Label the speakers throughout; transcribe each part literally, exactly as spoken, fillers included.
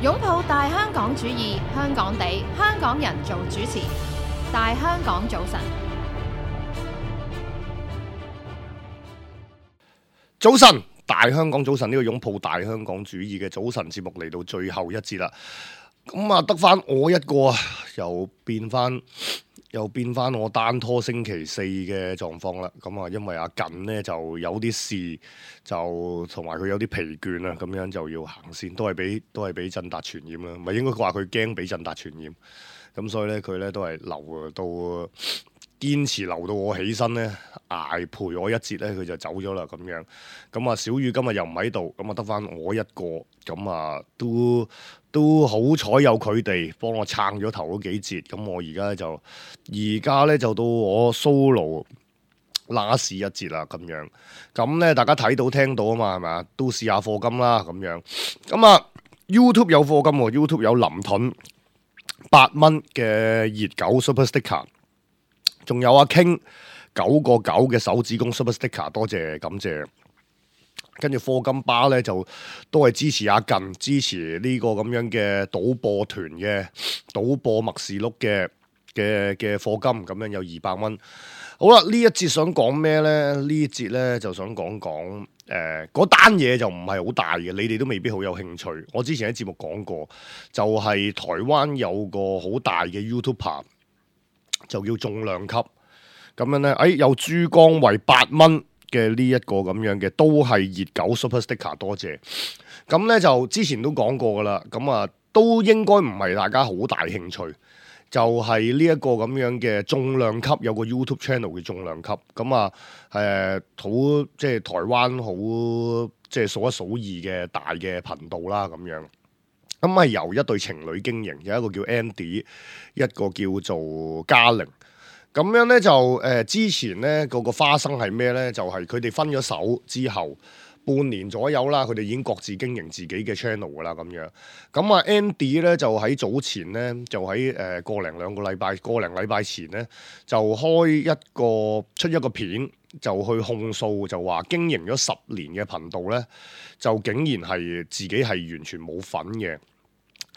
Speaker 1: 擁抱大香港主義，香港地，香港人做主持。大香港早晨，
Speaker 2: 早晨，大香港早晨，呢個擁抱大香港主義嘅早晨節目嚟到最後一節啦。咁啊，得翻我一個啊，又變翻又變翻我單拖星期四嘅狀況啦。咁啊，因為阿近呢就有啲事，就同埋佢有啲疲倦啊，咁樣就要行先，都係俾都係俾振達傳染啦。唔係應該話佢驚俾振達傳染，咁所以咧佢咧都係留到堅持留到我起身咧，捱陪我一節咧，佢就走咗啦咁樣。咁啊，小雨今日又唔喺度，咁啊得翻我一個，咁啊都都好彩有佢哋幫我撐咗頭嗰幾節。咁我而家就而家咧就到我 solo last 一節啦咁樣。咁咧大家睇到聽到啊嘛，係咪啊？都試下課金啦咁樣。咁啊 YouTube 有課金喎 ，YouTube 有林盾八蚊嘅熱狗 Super Sticker。仲有阿 King 九個九嘅手指公 Super Sticker， 多謝感謝。跟住課金巴咧就都係支持阿近，支持呢個咁樣嘅賭播團嘅賭播默示錄嘅嘅嘅課金，咁樣有二百蚊。好啦，呢一節想講咩咧？呢一節咧就想講講誒嗰單嘢就唔係好大嘅，你哋都未必好有興趣。我之前喺節目講過，就係、是、台灣有個好大嘅 YouTuber。就叫重量級咁樣咧，誒、哎、有珠江為八蚊嘅呢一個咁樣嘅，都係熱狗 Super Sticker， 多謝。咁咧就之前都講過噶啦，咁啊都應該唔係大家好大興趣，就係呢一個咁樣嘅重量級，有個 YouTube channel 嘅重量級，咁啊誒好即係台灣好即係數一數二嘅大嘅頻道啦咁樣。咁係由一對情侶經營，有一個叫 Andy， 一個叫做嘉玲。咁樣咧就誒、呃、之前咧個個花生係咩咧？就係佢哋分咗手之後半年左右啦，佢哋已經各自經營自己嘅 channel 噶啦咁樣。咁啊 Andy 咧就喺早前咧就喺誒個零兩個禮拜個零禮拜前咧就開一個出一個片，就去控訴，就話經營咗十年嘅頻道咧，就竟然係自己係完全冇份嘅。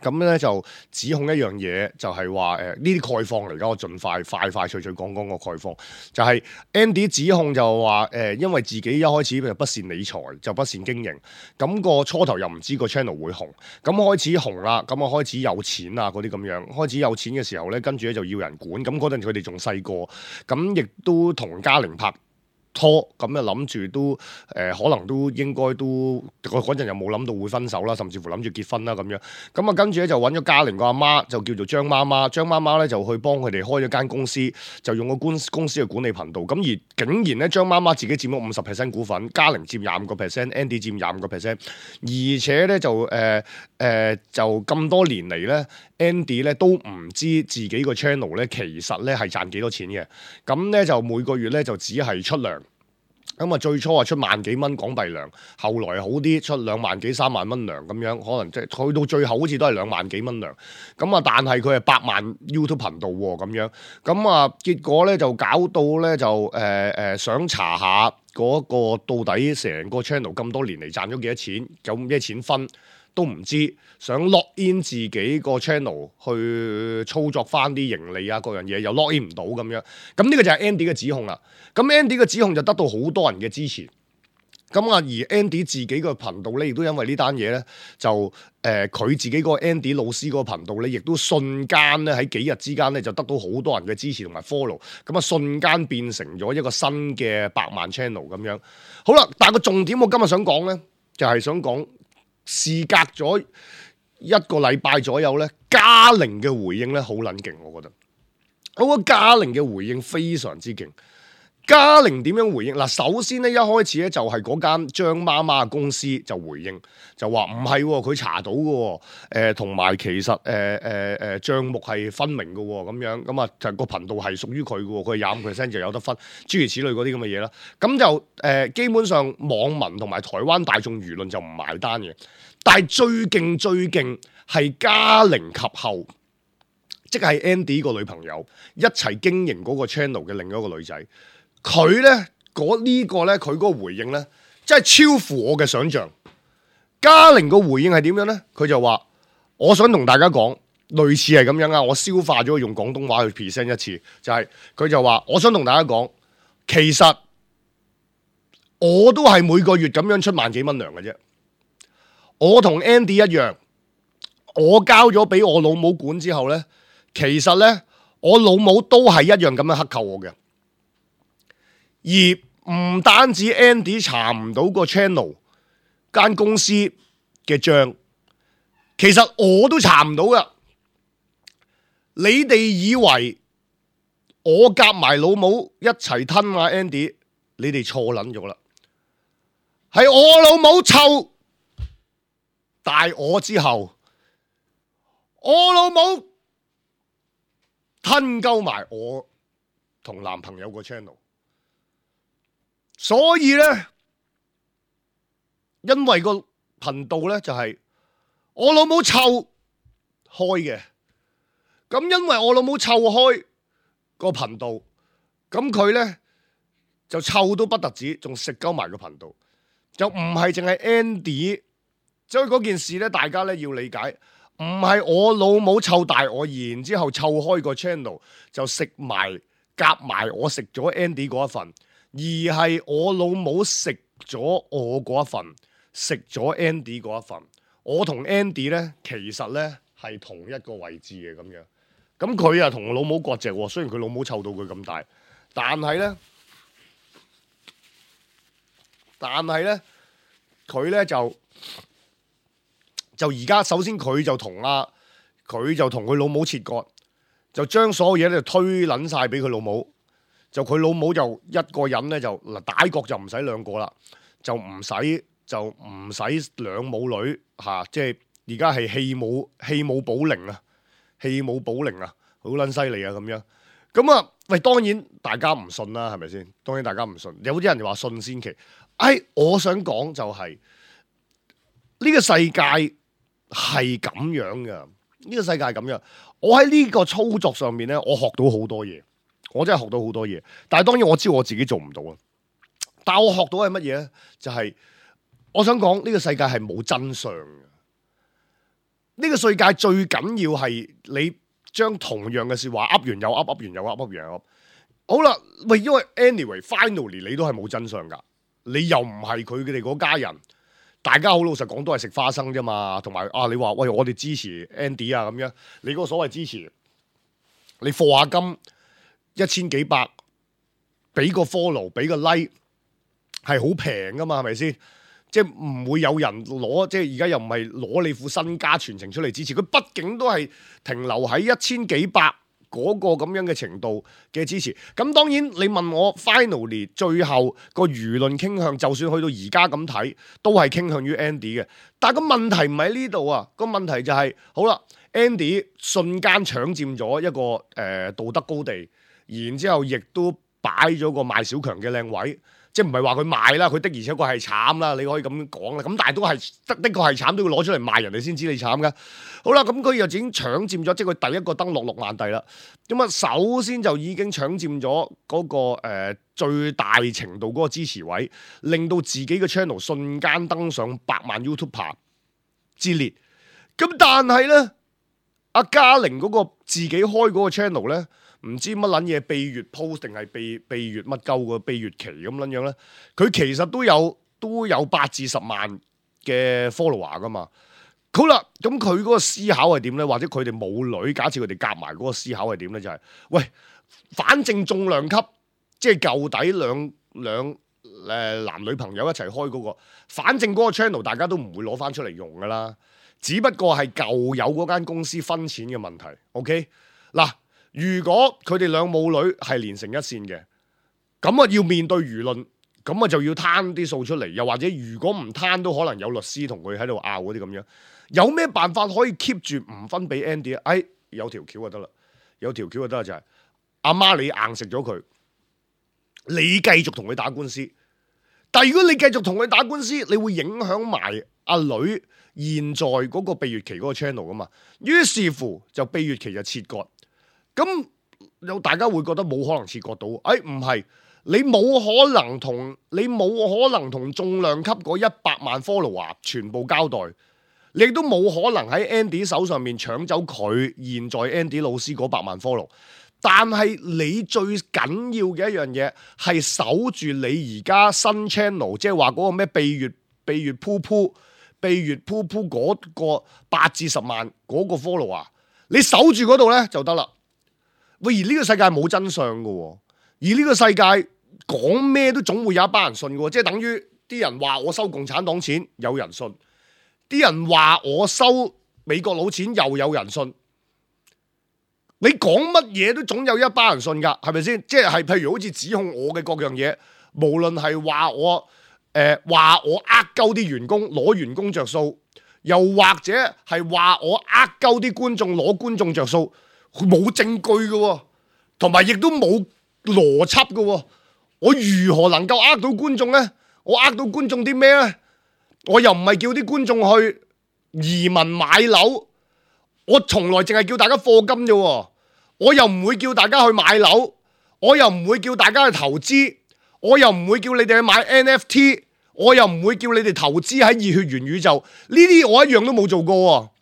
Speaker 2: 咁咧就指控一樣嘢，就係話誒呢啲概況嚟㗎，我盡快快快脆脆講講個概況。就係、是、Andy 指控就話誒、呃，因為自己一開始就不善理財，就不善經營，咁、那個初頭又唔知個 channel 會紅，咁開始紅啦，咁啊開始有錢啊嗰啲咁樣，開始有錢嘅時候咧，跟住咧就要人管，咁嗰陣佢哋仲細個，咁亦都同嘉玲拍拖，咁啊諗住都誒、呃、可能都應該都嗰陣又冇諗到會分手啦，甚至乎諗住結婚啦咁樣。咁啊跟住咧就揾咗嘉玲個阿媽，就叫做張媽媽。張媽媽咧就去幫佢哋開咗間公司，就用個公公司去管理頻道。咁而竟然咧張媽媽自己佔咗五十 percent 股份，嘉玲佔廿五個 percent，Andy 佔廿五個 percent。而且咧就誒誒、呃呃、就咁多年嚟咧 ，Andy 咧都唔知自己個 channel 咧其實咧係賺幾多錢嘅。咁咧就每個月咧就只係出糧。咁啊，最初啊出萬幾蚊港幣糧，後來好啲出兩萬幾三萬蚊糧咁樣，可能即係去到最後好似都係兩萬幾蚊糧。咁啊，但係佢係百萬 YouTube 頻道喎咁樣。咁啊，結果咧就搞到咧就誒誒、呃、想查下嗰個到底成個 channel 咁多年嚟賺咗幾多錢，有咩錢分都唔知，想 lock in 自己個 channel 去操作翻啲盈利啊各樣嘢，又 lock in 唔到咁樣。咁呢個就係 Andy 嘅指控啦。咁 Andy 嘅指控就得到好多人嘅支持。咁啊，而 Andy 自己個頻道咧，亦都因為呢單嘢咧，就誒佢、呃、自己個 Andy 老師嗰個頻道咧，亦都瞬間咧喺幾日之間咧就得到好多人嘅支持同埋 follow。咁啊，瞬間變成咗一個新嘅百萬 channel 咁樣。好啦，但係個重點我今日想講咧，就係、是、想講。事隔咗一個禮拜左右咧，嘉玲嘅回應咧好撚勁，我覺得。我覺得嘉玲嘅回應非常之勁。嘉玲點樣回應？嗱，首先咧一開始咧就係嗰間張媽媽嘅公司就回應，就話唔係佢查到嘅，誒同埋其實誒誒誒帳目係分明嘅咁樣，咁啊就個頻道係屬於佢嘅，佢廿五 percent 就有得分，諸如此類嗰啲咁嘅嘢啦。咁就誒、呃、基本上網民同埋台灣大眾輿論就唔埋單嘅，但係最勁最勁係嘉玲及後，即係 Andy 個女朋友一齊經營嗰個 channel 嘅另一個女仔。佢咧嗰呢個咧，佢嗰個回應咧，真係超乎我嘅想象。嘉玲個回應係點樣咧？佢就話：我想同大家講，類似係咁樣啊。我消化咗用廣東話去 present 一次，就係、是、佢就話，我想同大家講，其實我都係每個月咁樣出萬幾蚊糧嘅啫。我同 Andy 一樣，我交咗俾我老母管之後呢，其實呢，我老母都係一樣咁樣克扣我嘅。而唔單止 Andy 查唔到個 channel 間公司嘅賬，其實我都查唔到噶。你哋以為我夾埋老母一齊吞啊 Andy， 你哋錯捻咗啦。係我老母湊大我之後，我老母吞鳩埋我同男朋友個 channel。所以咧，因為個頻道咧就係我老母湊開嘅，咁因為我老母湊開個頻道，咁佢咧就湊都不特止，仲食鳩埋個頻道，就唔係淨係 Andy。所以嗰件事咧，大家咧要理解，唔係我老母湊大我，然之後湊開個 channel 就食埋夾埋我食咗 Andy 嗰一份。而係我老母食咗我嗰一份，食咗 Andy 嗰一份。我同 Andy 咧，其實咧係同一個位置嘅咁樣。咁佢啊同我老母割席喎，雖然佢老母湊到佢咁大，但係咧，但係咧，佢咧就就而家首先佢就同啊，佢就同佢老母切割，就將所有嘢咧推撚晒俾佢老母。就佢老母就一個人咧就嗱打角就唔使兩個啦，就唔使就唔使兩母女嚇，即係而家係棄母棄母保齡啊，棄母保齡啊，好撚犀利啊咁樣。咁啊，喂，當然大家唔信啦，係咪先？當然大家唔信，有啲人就話信先奇。哎，我想講就係呢個世界係咁樣嘅，呢個世界係咁樣。我喺呢個操作上面咧，我學到好多嘢。我真係學到好多嘢，但係當然我知道我自己做唔到啊。但係我學到係乜嘢咧？就係、是、我想講呢個世界係冇真相嘅。呢個世界最緊要係你將同樣嘅說話噏完又噏，噏完又噏，噏完又噏。好啦，喂，因為 anyway，finally 你都係冇真相噶，你又唔係佢哋嗰家人，大家好老實講都係食花生啫嘛。同埋啊，你話喂我哋支持 Andy 啊咁樣，你嗰個所謂支持，你課下金。一千幾百，俾個 follow，俾個 like，係好平噶嘛，係咪先？即係唔會有人攞，即係而家又唔係攞你副身家全程出嚟支持，佢畢竟都係停留喺一千幾百嗰個咁樣嘅程度嘅支持。咁當然你問我 finally 最後個輿論傾向，就算去到而家咁睇，都係傾向於 Andy 嘅。但係個問題唔喺呢度啊，個問題就係、是、好啦 ，Andy 瞬間搶佔咗一個誒、呃、道德高地。然之後亦都擺咗個賣小強嘅靚位，即係唔係話佢賣啦，佢的而且確係慘啦，你可以咁講啦。咁但係都係的的確係慘，都要攞出嚟賣人哋先知你慘噶。好啦，咁佢又已經搶佔咗，即係佢第一個登陸六萬帝啦。咁啊，首先就已經搶佔咗嗰個、呃、最大程度嗰個支持位，令到自己嘅 channel 瞬間登上百萬 YouTuber 之列。咁但係咧，阿嘉玲嗰個自己開嗰個 channel 咧。唔知乜撚嘢秘月 post 定係秘秘月乜鳩個秘月期咁撚樣咧？佢其實都有都有八至十萬嘅 follower 噶嘛。好啦，咁佢嗰個思考係點咧？或者佢哋母女，假設佢哋夾埋嗰個思考係點咧？就係、是、喂，反正重量級，即係舊底兩兩誒、呃、男女朋友一齊開嗰、嗰個，反正嗰個 channel 大家都唔會攞翻出嚟用噶啦，只不過係舊有嗰間公司分錢嘅問題。OK 嗱。如果佢哋兩母女係連成一線嘅，咁啊要面對輿論，咁啊就要攤啲數出嚟，又或者如果唔攤都可能有律師同佢喺度拗嗰啲咁樣。有咩辦法可以 keep 住唔分俾 Andy 啊？哎，有條橋就得啦，有條橋就得啦，就係阿媽你硬食咗佢，你繼續同佢打官司。但係如果你繼續同佢打官司，你會影響埋阿女現在嗰個秘月期嗰個 channel 噶嘛？於是乎就秘月期就切割。咁有大家會覺得冇可能切割到，哎唔係，你冇可能同你冇可能同重量級嗰一百萬 follower 全部交代，你亦都冇可能喺 Andy 手上面搶走佢現在 Andy 老師嗰百萬 follow。但係你最緊要嘅一樣嘢係守住你而家新 channel， 即係話嗰個咩秘月秘月噗噗秘月噗噗嗰個八至十萬嗰個 follow 啊，你守住嗰度咧就得啦。喂，而呢個世界冇真相噶，而呢個世界講咩都總會有一班人信噶，即係等於啲人話我收共產黨錢，有人信；啲人話我收美國佬錢，又有人信。你講乜嘢都總有一班人信㗎，係咪先？即係譬如好似指控我嘅各樣嘢，無論係話我誒話、呃、我呃鳩啲員工攞員工着數，又或者係話我呃鳩啲觀眾攞觀眾着數，冇證據嘅，同埋亦都冇邏輯嘅。我如何能夠呃到觀眾呢？我呃到觀眾啲咩呢？我又唔係叫啲觀眾去移民買樓，我從來淨係叫大家課金啫。我又唔會叫大家去買樓，我又唔會叫大家去投資，我又唔會叫你哋去買 N F T， 我又唔會叫你哋投資喺熱血元宇宙，呢啲我一樣都冇做過。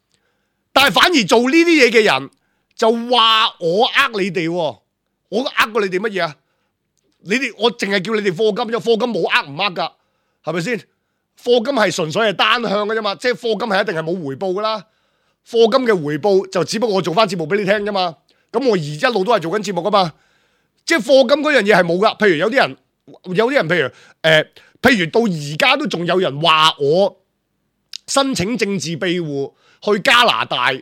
Speaker 2: 但係反而做呢啲嘢嘅人就話我呃你哋，我呃過你哋乜嘢啊？你哋我淨係叫你哋課金啫，課金冇呃唔呃噶，係咪先？課金係純粹係單向嘅啫嘛，即係課金係一定係冇回報噶啦。課金嘅回報就只不過我做翻節目俾你聽啫嘛。咁我而一路都係做緊節目噶嘛，即係課金嗰樣嘢係冇噶。譬如有啲人，有啲人譬如誒、呃，譬如到而家都仲有人話我申請政治庇護去加拿大，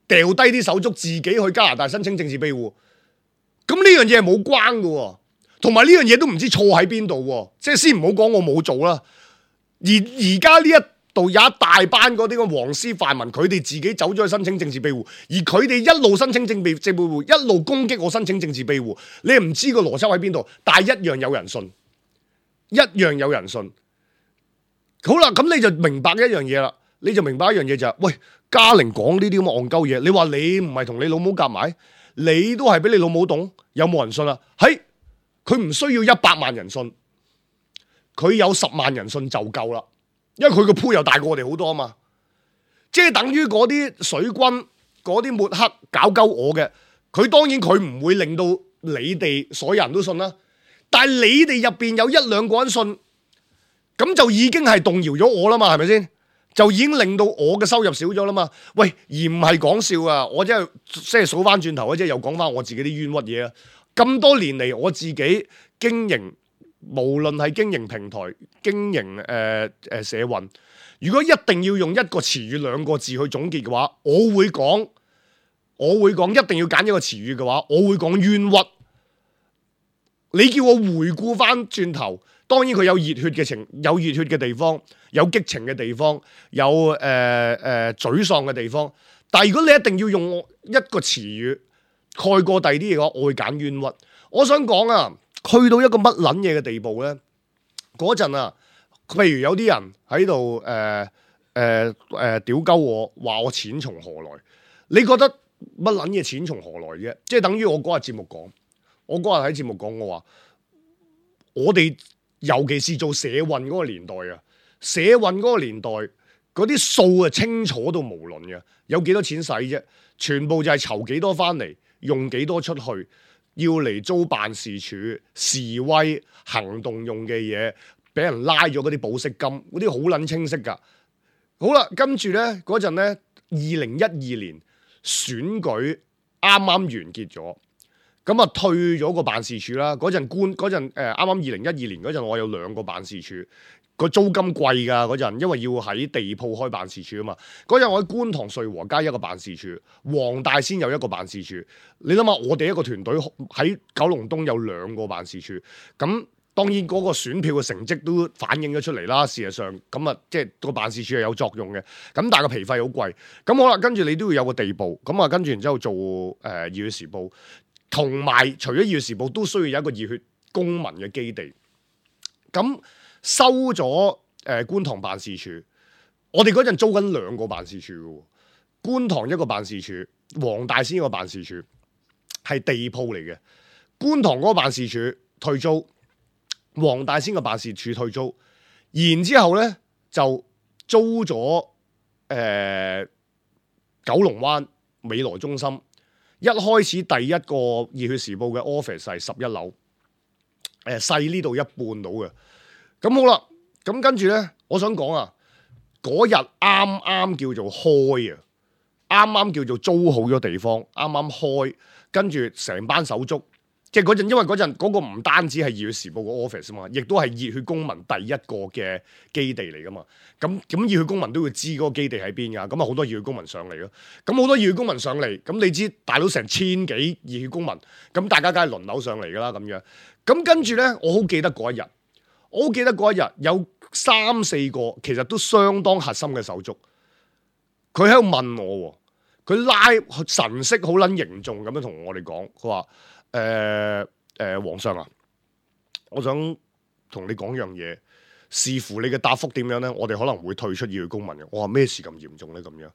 Speaker 2: 掉低啲手足自己去加拿大申請政治庇護。咁呢樣嘢係冇關噶，同埋呢樣嘢都唔知錯喺邊度。即係先唔好講我冇做啦。而而家呢一度有一大班嗰啲嘅黃絲泛民，佢哋自己走咗去申請政治庇護，而佢哋一路申請政治庇護，一路攻擊我申請政治庇護。你唔知個邏輯喺邊度，但係一樣有人信，一樣有人信。好啦，咁你就明白一樣嘢啦，你就明白一樣嘢就係、是，喂，嘉玲講呢啲咁嘅戇鳩嘢，你話你唔係同你老母夾埋，你都係俾你老母懂，有冇人信啊？係，佢唔需要一百萬人信，佢有十萬人信就夠啦。因為佢個鋪又大過我哋好多啊嘛，即係等於嗰啲水軍、嗰啲抹黑搞鳩我嘅，佢當然佢唔會令到你哋所有人都信啦。但係你哋入邊有一兩個人信，咁就已經係動搖咗我啦嘛，係咪先？就已經令到我嘅收入少咗啦嘛。喂，而唔係講笑啊！我真係即係數翻轉頭，即係又講翻我自己啲冤屈嘢啊！咁多年嚟，我自己經營。無論係經營平台、經營誒誒、呃呃、社運，如果一定要用一個詞語兩個字去總結嘅話，我會講，我會講一定要揀一個詞語嘅話，我會講冤屈。你叫我回顧翻轉頭，當然佢有熱血嘅情，有熱血嘅地方，有激情嘅地方，有誒誒、呃呃、沮喪嘅地方。但係如果你一定要用一個詞語蓋過第二啲嘅話，我會揀冤屈。我想講啊。去到一個乜撚嘢嘅地步咧？嗰陣啊，譬如有啲人喺度誒誒誒屌鳩我，話我錢從何來？你覺得乜撚嘢錢從何來啫？即係等於我嗰日節目講，我嗰日喺節目講，我話我哋尤其是做社運嗰個年代啊，社運嗰個年代嗰啲數啊清楚到無論嘅，有幾多錢使啫？全部就係籌幾多翻嚟，用幾多出去。要嚟租辦事處、示威行動用嘅嘢，俾人拉咗嗰啲保釋金，嗰啲好撚清晰噶。好啦，跟住咧嗰陣咧，二零一二年選舉啱啱完結咗，咁啊退咗個辦事處啦。嗰陣官嗰陣誒啱啱二零一二年嗰陣，我有兩個辦事處。個租金貴㗎嗰陣，因為要喺地鋪開辦事處啊嘛。嗰陣我喺觀塘瑞和街一個辦事處，黃大仙有一個辦事處。你諗下，我哋一個團隊喺九龍東有兩個辦事處。咁當然嗰個選票嘅成績都反映咗出嚟啦。事實上，咁啊即係個辦事處係有作用嘅。咁但係個皮費好貴。咁好啦，跟住你都要有個地步。咁啊跟住然之後做誒《熱血時報》，同埋除咗《熱血時報》，都需要有一個熱血公民嘅基地。咁收咗誒、呃、觀塘辦事處，我哋嗰陣租緊兩個辦事處嘅，觀塘一個辦事處，黃大仙一個辦事處，係地鋪嚟嘅。觀塘嗰個辦事處退租，黃大仙嘅辦事處退租，然之後咧就租咗呃、九龍灣美萊中心，一開始第一個熱血時報嘅 office 係十一樓，誒細呢度一半到嘅。咁好啦，咁跟住咧，我想講啊，嗰日啱啱叫做開啊，啱啱叫做租好咗地方，啱啱開，跟住成班手足。即係嗰陣，因為嗰陣嗰個唔單止係熱血時報個 office 啊嘛，亦都係熱血公民第一個嘅基地嚟噶嘛。咁咁熱血公民都會知嗰個基地喺邊噶。咁啊好多熱血公民上嚟咯。咁好多熱血公民上嚟，咁你知大佬成千幾熱血公民，咁大家梗係輪流上嚟噶啦咁樣。咁跟住咧，我好記得嗰一日，我好記得嗰一日有三四個其實都相當核心嘅手足，佢喺度問我，佢拉神色好撚凝重咁樣同我哋講，佢話。誒誒、呃呃，皇上啊，我想同你講樣嘢，視乎你嘅答覆點樣咧，我哋可能會退出熱血公民嘅。我話咩事咁嚴重咧？咁樣，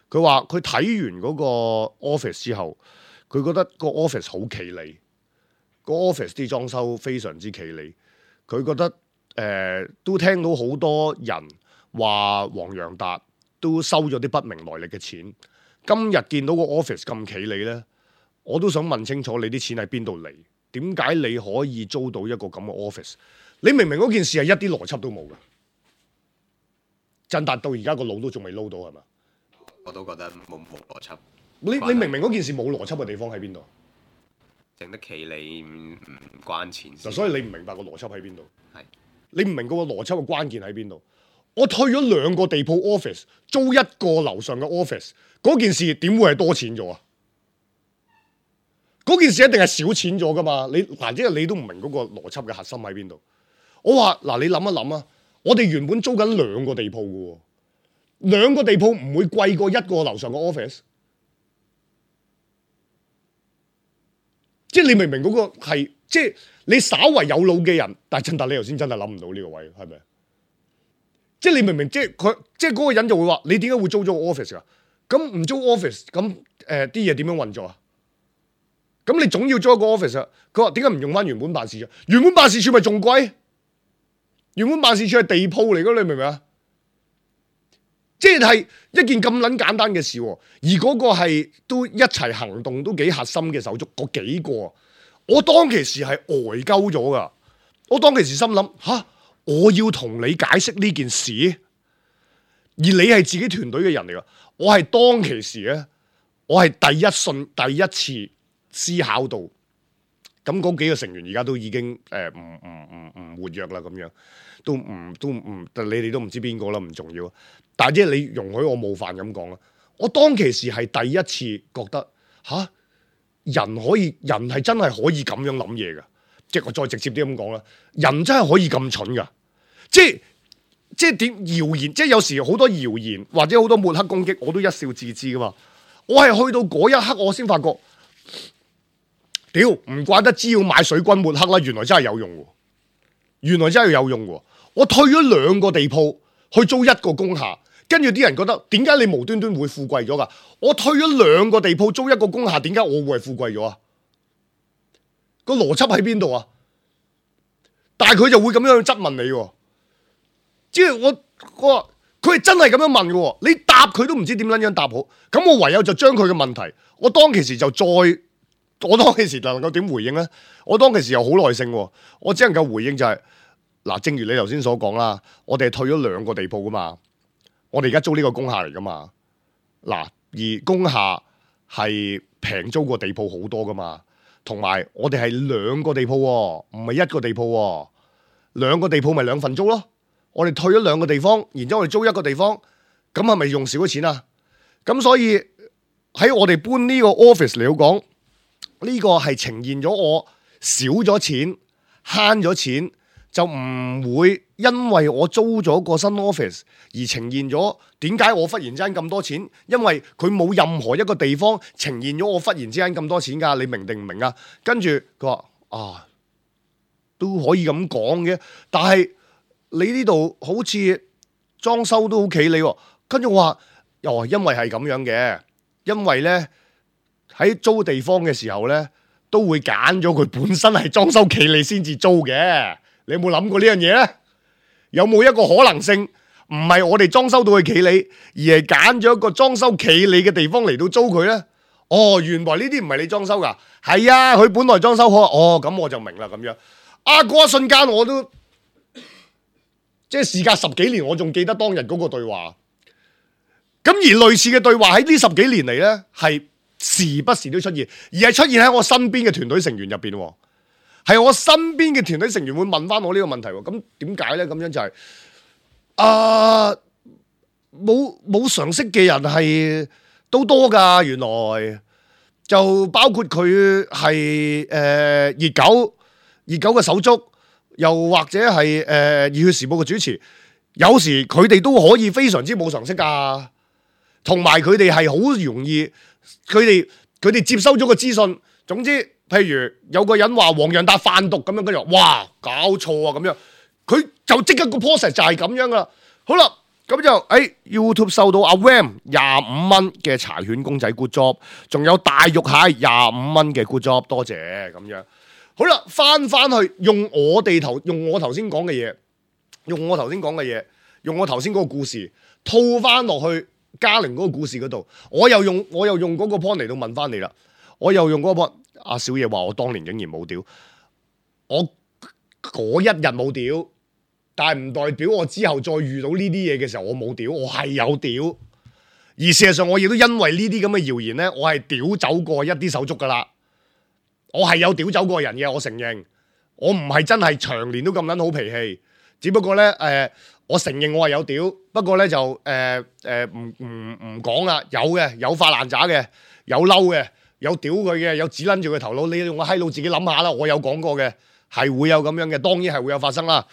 Speaker 2: 佢話佢睇完嗰個 office 之後，佢覺得個 office 好企理，個 office 啲裝修非常之企理。佢覺得誒、呃，都聽到好多人話黃洋達都收咗啲不明來歷嘅錢。今日見到個 office 咁企理咧。我都想問清楚你啲錢喺邊度嚟？點解你可以租到一個咁嘅 office？ 你明明嗰件事係一啲邏輯都冇嘅，振達到而家個腦都仲未撈到係嘛？
Speaker 3: 我都覺得冇冇邏輯。
Speaker 2: 你你明明嗰件事冇邏輯嘅地方喺邊度？
Speaker 3: 整得企理唔唔關錢事。
Speaker 2: 所以你唔明白個邏輯喺邊度？
Speaker 3: 係是
Speaker 2: 你唔明嗰個邏輯嘅關鍵喺邊度？我退咗兩個地鋪 office， 租一個樓上嘅 office， 嗰件事點會係多錢咗啊？嗰件事一定係少錢咗噶嘛？你嗱，即係你都唔明嗰個邏輯嘅核心喺邊度？我話嗱，你諗一諗啊！我哋原本租緊兩個地鋪嘅，兩個地鋪唔會貴過一個樓上嘅 office。即係你明唔明嗰個係？即係你稍為有腦嘅人，但係振達你頭先真係諗唔到呢個位，係咪？即係你明唔明？即係佢，即係嗰個人就會話：你點解會租咗個 office 啊？咁唔租 office，咁誒啲嘢點樣運作啊？咁你總要租一個 office 啊？佢話點解唔用翻原本辦事處？原本辦事處咪仲貴？原本辦事處係地鋪嚟噶，你明唔明啊？即係一件咁撚簡單嘅事，而嗰個係都一齊行動都幾核心嘅手足，嗰幾個，我當其時係呆鳩咗噶。我當其時心諗吓，我要同你解釋呢件事，而你係自己團隊嘅人嚟噶。我係當其時咧，我係第一信第一次。思考到，咁嗰幾個成員而家都已經誒唔唔唔唔活躍啦，咁樣都唔都唔，你哋都唔知邊個啦，唔重要。但係即係你容許我冒犯咁講啦，我當其時係第一次覺得吓，人可以人係真係可以咁樣諗嘢㗎，即係我再直接啲咁講啦，人真係可以咁蠢㗎，即係即係點謠言，即係有時好多謠言或者好多抹黑攻擊，我都一笑置之噶嘛。我係去到嗰一刻，我先發覺。屌，唔怪得知要買水軍抹黑啦，原來真係有用喎，原來真係有用喎。我退咗兩個地鋪去租一個工廈，跟住啲人覺得點解你無端端會富貴咗噶？我退咗兩個地鋪租一個工廈，點解我會係富貴咗啊？個邏輯喺邊度啊？但係佢就會咁樣去質問你喎，即係我我話佢係真係咁樣問嘅，你答佢都唔知點撚樣答好，咁我唯有就將佢嘅問題，我當其時就再。我當其時能夠點回應咧？我當其時又好耐性，我只能夠回應就係、是、嗱，正如你頭先所講啦，我哋係退咗兩個地鋪噶嘛，我哋而家租呢個工廈嚟噶嘛，嗱，而工廈係平租過地鋪好多噶嘛，同埋我哋係兩個地鋪，唔係一個地鋪，兩個地鋪咪兩份租咯，我哋退咗兩個地方，然之後我哋租一個地方，咁係咪用少咗錢啊？咁所以喺我哋搬呢個 office 嚟講。呢個係呈現咗我少咗錢慳咗錢，就唔會因為我租咗個新 office 而呈現咗點解我忽然之間咁多錢，因為佢冇任何一個地方呈現咗我忽然之間咁多錢㗎，你明定唔明啊？跟住佢話啊，都可以咁講嘅，但係你呢度好似裝修都好企理喎。跟住我話哦，因為係咁樣嘅，因為呢。喺租地方嘅時候咧，都會揀咗佢本身係裝修企理先至租嘅。你有冇諗過呢樣嘢咧？有冇一個可能性唔係我哋裝修到去企理，而係揀咗一個裝修企理嘅地方嚟到租佢呢？哦，原來呢啲唔係你裝修噶，係啊，佢本來裝修好，哦，咁我就明啦咁樣。啊，嗰一瞬間我都即係事隔十幾年，我仲記得當日嗰個對話。咁而類似嘅對話喺呢十幾年嚟呢，係時不時都出現，而係出現喺我身邊嘅團隊成員入邊。係我身邊嘅團隊成員會問翻我呢個問題。咁點解呢？咁樣就係、是。啊！冇冇常識嘅人係都多噶，原來就包括佢係誒熱狗熱狗嘅手足，又或者係誒熱血時報嘅主持，有時佢哋都可以非常之冇常識噶，同埋佢哋係好容易，佢哋佢哋接收咗個資訊。總之，譬如有個人話黃洋達販毒咁樣，跟住哇搞錯啊咁樣。佢就即刻個 process 就係咁樣噶啦，好啦，咁就誒、哎、YouTube 收到阿 Ram 廿五蚊嘅柴犬公仔 good job， 仲有大肉蟹廿五蚊嘅 good job， 多謝咁樣。好啦，翻翻去用我哋頭用我頭先講嘅嘢，用我頭先講嘅嘢，用我頭先嗰個故事套翻落去嘉玲嗰個故事嗰度，我又用我又用嗰個 point 嚟到問翻你啦，我又用嗰個 point， 阿小爺話我當年竟然冇屌，我嗰一日冇屌。但係唔代表我之後再遇到呢啲嘢嘅時候我冇屌，我係有屌。而事實上我亦都因為呢啲咁嘅謠言呢，我係屌走過一啲手足噶啦。我係有屌走過人嘅，我承認。我唔係真係長年都咁撚好脾氣，只不過呢，誒、呃，我承認我係有屌。不過呢，就誒誒唔唔唔講啦，有嘅，有發爛渣嘅，有嬲嘅，有屌佢嘅，有指撚住佢頭腦。你用個閪佬自己諗下啦，我有講過嘅，係會有咁樣嘅，當然係會有發生啦。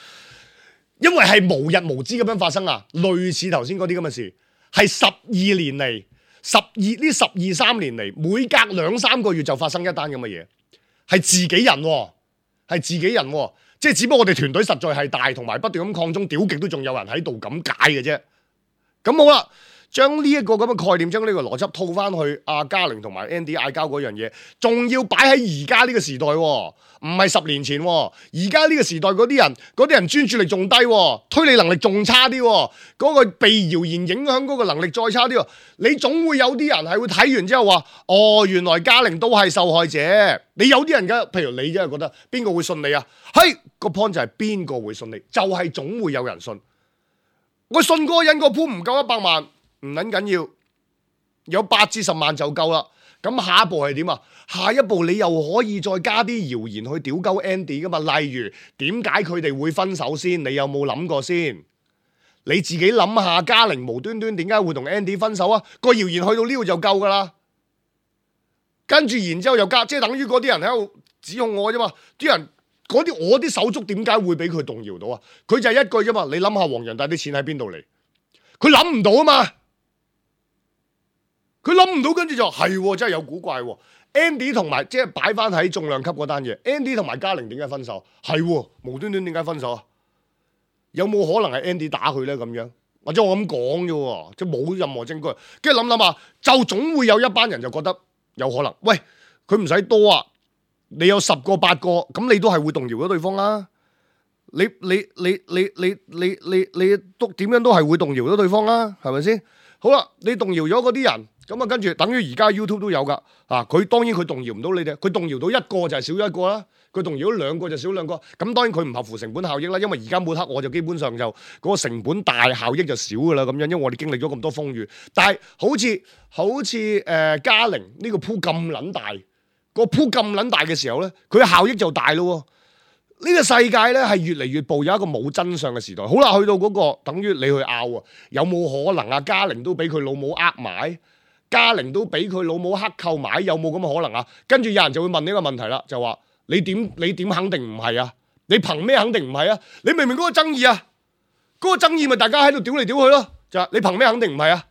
Speaker 2: 因為係無日無之咁樣發生啊，類似頭先嗰啲咁嘅事，係十二年嚟，十二呢十二三年嚟，每隔兩三個月就發生一單咁嘅嘢，係自己人喎，係自己人喎，即係只不過我哋團隊實在係大，同埋不斷咁擴充，屌極都仲有人喺度咁解嘅啫。咁好啦，將呢一個咁嘅概念，將呢個邏輯套翻去阿嘉玲同埋 Andy 嗌交嗰樣嘢，仲要擺喺而家呢個時代喎。唔係十年前，而家呢個時代嗰啲人，嗰啲人專注力仲低，推理能力仲差啲，嗰個被謠言影響嗰個能力再差啲。你總會有啲人係會睇完之後話，哦，原來嘉玲都係受害者。你有啲人嘅，譬如你真係覺得邊個會信你啊？係個 point 就係邊個會信你，就係總會有人信。我信嗰個人個鋪唔夠一百萬，唔撚緊要，有八至十萬就夠啦。咁下一步係點啊？下一步你又可以再加啲謠言去屌鳩 Andy 噶嘛？例如點解佢哋會分手先？你有冇諗過先？你自己諗下，嘉玲無端端點解會同 Andy 分手啊？個謠言去到呢度就夠噶啦。跟住然之後又加，即係等於嗰啲人喺度指控我啫嘛。啲人嗰啲我啲手足點解會俾佢動搖到啊？佢就係一句啫嘛。你諗下黃洋達啲錢喺邊度嚟？佢諗唔到啊嘛。佢諗唔到，跟住就係真係有古怪喎。Andy 同埋即係擺翻喺重量級嗰單嘢 ，Andy 同埋嘉玲點解分手？係無端端點解分手啊？有冇可能係 Andy 打佢咧？咁樣或者我咁講啫，即係冇任何證據。跟住諗諗下，就總會有一班人就覺得有可能。喂，佢唔使多啊，你有十個八個，咁你都係會動搖咗對方啦。你你你你你你你你都點樣都係會動搖咗對方啦，係咪先？好啦，你動搖咗嗰啲人。咁啊，跟住等於而家 YouTube 都有噶，啊，佢當然佢動搖唔到你哋，佢動搖到一個就係少咗一個啦，佢動搖咗兩個就少兩個，咁當然佢唔合乎成本效益啦，因為而家抹黑我就基本上就嗰個成本大，效益就少噶啦，咁樣，因為我哋經歷咗咁多風雨，但係好似好似誒嘉玲呢個鋪咁撚大，個鋪咁撚大嘅時候咧，佢嘅效益就大咯。呢個世界咧係越嚟越步有一個冇真相嘅時代。好啦，去到嗰個等於你去拗啊，有冇可能啊？嘉玲都俾佢老母呃埋？嘉玲都俾佢老母黑購買，有冇咁嘅可能啊？跟住有人就會問呢個問題啦，就話你點你點肯定唔係啊？你憑咩肯定唔係啊？你明明嗰個爭議啊，嗰、嗰個爭議咪大家喺度屌嚟屌去咯，就係你憑咩肯定唔係啊？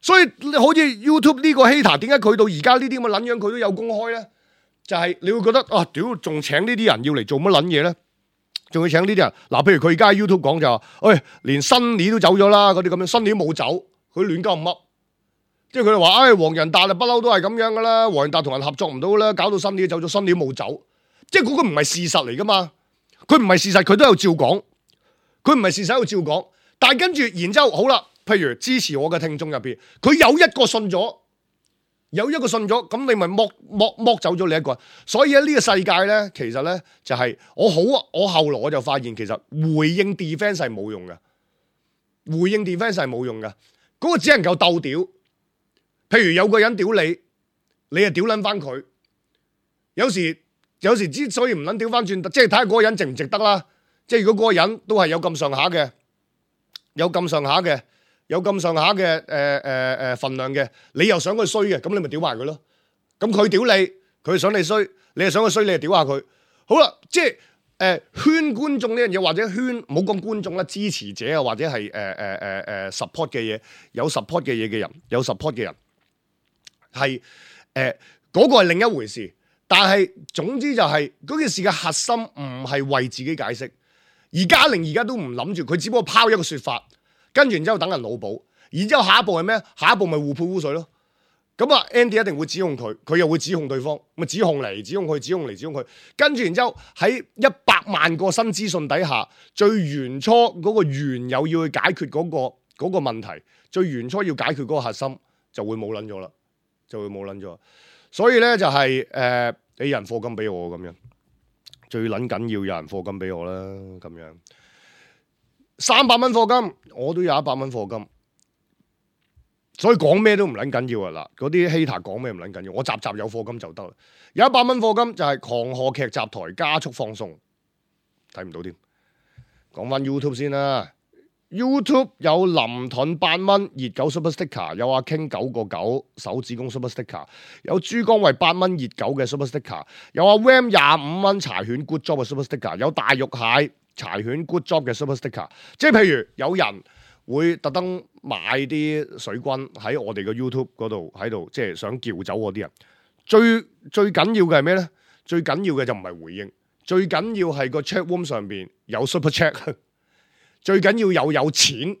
Speaker 2: 所以好似 YouTube 呢個 hater， 點解佢到而家呢啲咁嘅撚樣佢都有公開咧？就係、是、你會覺得啊，屌仲請呢啲人要嚟做乜撚嘢咧？仲要請呢啲人嗱，譬如佢而家喺 YouTube 講就話，喂、哎，連新年都走咗啦，嗰啲咁樣，新年冇走，佢亂鳩噏。即係佢哋話，唉、哎，黃洋達啊，不嬲都係咁樣噶啦。黃洋達同人合作唔到啦，搞到新年走咗，新年冇走。即係嗰個唔係事實嚟噶嘛，佢唔係事實，佢都有照講。佢唔係事實喺度照講，但係跟住，然之後好啦，譬如支持我嘅聽眾入邊，佢有一個信咗，有一個信咗，咁你咪剝剝剝走咗你一個。所以喺呢個世界咧，其實咧就係、是、我好，我後來我就發現，其實回應 defense 係冇用嘅，回應 defense 係冇用嘅，嗰、那個只能夠鬥屌。譬如有個人屌你，你就屌撚翻佢。有時有時之所以唔撚屌翻轉，即係睇下嗰個人值唔值得啦。即係如果嗰個人都係有咁上下嘅，有咁上下嘅，有咁上下嘅誒誒誒份量嘅，你又想佢衰嘅，咁你咪屌埋佢咯。咁佢屌你，佢想你衰，你又想佢衰，你就屌下佢。好啦，即係誒、呃、圈觀眾呢樣嘢，或者圈唔好講觀眾啦，支持者啊，或者係誒誒誒誒 support 嘅嘢，有 support 嘅嘢嘅人，有 support 嘅人係誒嗰個係另一回事。但係總之就係、是、嗰件事嘅核心唔係為自己解釋。而家玲而家都唔諗住，佢只不過拋一個說法，跟住然之後等人腦補，然之後下一步係咩？下一步咪互潑污水咯。咁啊 ，Andy 一定會指控佢，佢又會指控對方，咪指控嚟，指控佢，指控嚟，指控佢。跟住然之後喺一百萬個新資訊底下，最原初嗰個原有要去解決嗰、嗰個嗰、嗰個問題，最原初要解決嗰個核心就會冇撚咗啦，就會冇撚咗。所以咧就係、是、誒、呃，你人課金俾我咁樣。最撚緊要有人課金俾我啦，咁樣三百蚊課金，我都有一百蚊課金，所以講咩都唔撚緊要啊！嗱，嗰啲 hater 講咩唔撚緊要，我集集有課金就得啦。有一百蚊課金就係狂賀劇集台加速放送，睇唔到添。講翻 YouTube 先啦。YouTube 有林盾八蚊熱狗 Super Sticker， 有阿 King 九個九手指公 Super Sticker， 有珠江為八蚊熱狗嘅 Super Sticker， 有阿 Ram 廿五蚊柴犬 Good Job 嘅 Super Sticker， 有大肉蟹柴犬 Good Job 嘅 Super Sticker。即係譬如有人會特登買啲水軍喺我哋嘅 YouTube 嗰度喺度，即係想撬走我啲人。最最緊要嘅係咩咧？最緊要嘅就唔係回應，最緊要係個 chat room 上邊有 Super Chat。最緊要有有錢，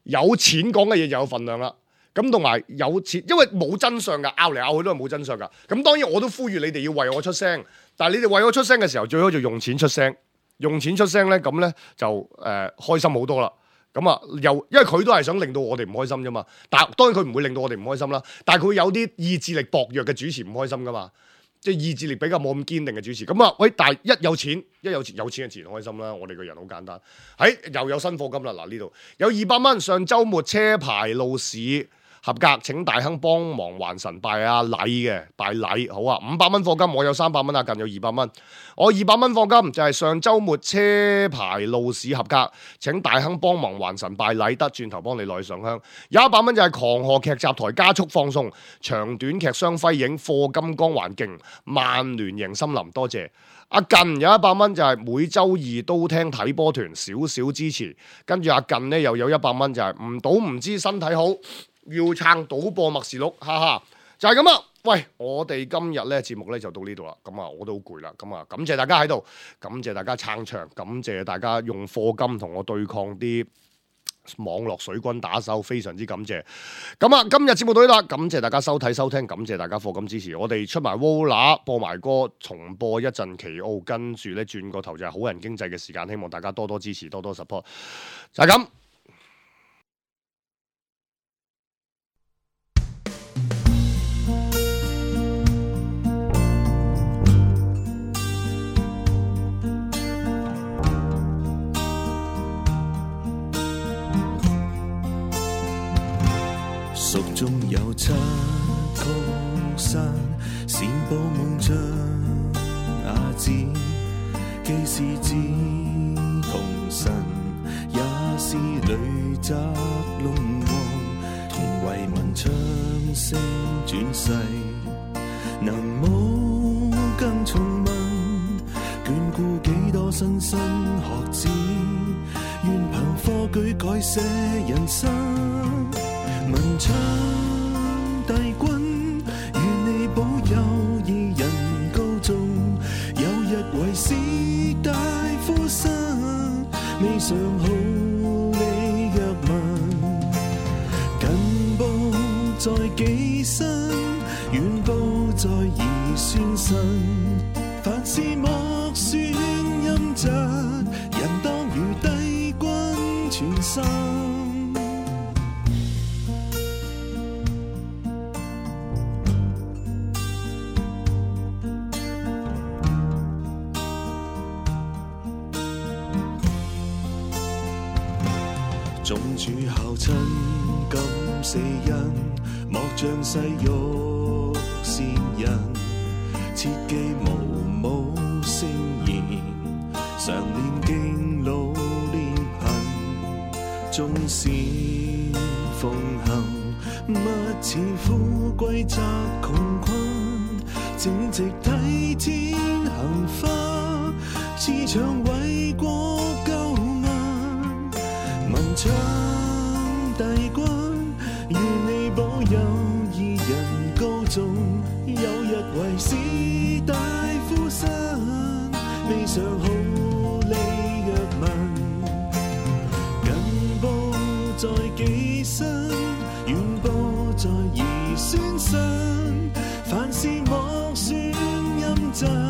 Speaker 2: 有錢講嘅嘢就有份量啦。咁同埋有錢，因為冇真相噶，拗嚟拗去都係冇真相噶。咁當然我都呼籲你哋要為我出聲，但係你哋為我出聲嘅時候，最好就用錢出聲。用錢出聲咧，咁咧就誒、呃、開心好多啦。咁啊，又因為佢都係想令到我哋唔開心啫嘛。但係當然佢唔會令到我哋唔開心啦。但係佢有啲意志力薄弱嘅主持唔開心噶嘛。即係意志力比較冇咁堅定嘅主持，咁啊喂！但係一有錢，一有錢有錢嘅自然開心啦。我哋個人好簡單，喺、哎、又有新課金啦。嗱，呢度有二百蚊，上週末車牌路試合格，請大亨幫忙還神拜阿禮嘅拜禮，好啊！五百蚊課金，我有三百蚊啊，近有二百蚊。我二百蚊課金就係上週末車牌路試合格，請大亨幫忙還神拜禮，得轉頭幫你內上香。有一百蚊就係狂賀劇集台加速放送，長短劇雙輝映課金光環境，曼聯贏森林，多謝。阿近有一百蚊就係每週二都聽睇波團，少少支持。跟住阿近呢又有一百蚊就係唔賭唔知身體好。要撐賭播默示錄，哈哈，就係咁啦。喂，我哋今日咧節目咧就到呢度啦。咁啊，我都好攰啦。咁啊，感謝大家喺度，感謝大家撐場，感謝大家用課金同我對抗啲網絡水軍打手，非常之感謝。咁啊，今日節目到呢度啦，感謝大家收睇收聽，感謝大家課金支持。我哋出埋 Vola 播埋歌，重播一陣奇奧，跟住咧轉個頭就係好人經濟嘅時間，希望大家多多支持，多多 support，就係咁。
Speaker 4: 蜀中有七曲山，善報夢像亞子，既是志同神，也是雷澤龍王，同為民唱聲轉世，能冇更重問，眷顧幾多莘莘學子，願憑科舉改寫人生。文昌帝君，願你保佑義人高中，有日為士大夫生，未嘗好你若問，近報在己身，遠報在兒孫身，凡事莫算陰疾，人當如帝君全心。眾主孝親敢死因，莫像世欲善人，切記無舞聲言，常念經老練貧，縱使奉行，勿似富貴則窮困，正直體天行花，自長為國救民，文昌帝君，願你保佑義人高頌，有日為士大夫身，未嘗好利若民，近報在己身，遠播在兒孫身，凡事莫算陰真。